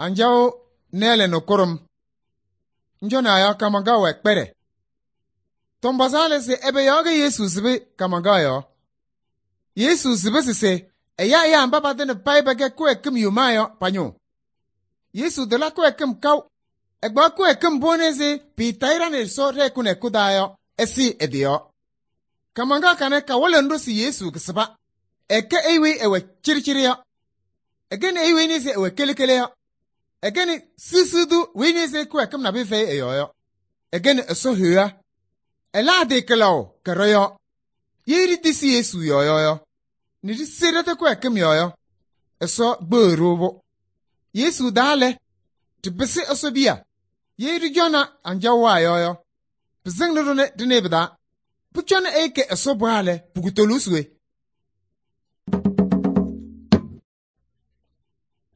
anjaɣ nɛɛlɛ nɛ kʋɖʋm. Njɔnaa yɔ kaamaŋkaɣ wɛ kpɛɖɛ. Tɔmkpɔzaa lɛ se ɛbɛ yɔɔ kɛ Yesu sɩbɩ kaamaŋkaɣ yɔɔ? Yesu sɩbɩ se ɛya ɛyaa mba patɩŋa payɩ pɛkɛ kɩwɛɛkɩm yomaa yɔ pa-ñʋʋ. Yesu tɩla kɩwɛɛkɩm kaʋ. Ɛkpaɣ kɩwɛɛkɩm mbʋ ɛzɩ pɩɩtayɩ ɖa nɛ Ɛsɔ ɖɛ-hɛkʋ nɛ hɛkʋ taa yɔ, ɛsɩɩ ɛ-tɩ yɔɔ. Kaamaŋkaɣ kanɛ kawɩlɩnɩ-ɖʋ se Yesu kɩsɩba. Ɛkɛ ɛyʋ weyi ɛwɛ cɩɖɩcɩɖɩ yɔ. Ɛkɛnɩ ɛyʋ weyi nɩɩ ɛwɛ kele-kele yɔ. Ɛkɛnɩ siɣsiɣ tʋ weyi nɩɩ kɩwɛɛkɩm nabɩyɛ fɛyɩ ɛ-yɔɔ yɔ. Ɛkɛnɩ Ɛsɔ Heɣa. Ɛlɛ ɛ-tɩ kɩlaʋ kɛɖɔ yɔɔ. Ye ɖitisi Yesu yɔɔ yɔ, nɛ ɖise ɖɛ-tɛ kɩwɛɛkɩm yɔɔ yɔ, Ɛsɔ gbɩɣ-ɖʋ-pʋ. Yesu daa lɛ, ɖɩpɩsɩ Ɛsɔ biya. Ye ɖɩcɔna anjaɣ waa yɔ, pɩsɩŋnɩ-ɖʋ nɛ ɖɩnɩɩ pɩ-taa. Pʋcɔ nɛ ɛyɩ kɛ Ɛsɔ bɔaa lɛ, pʋkʋtʋʋlʋʋ se we?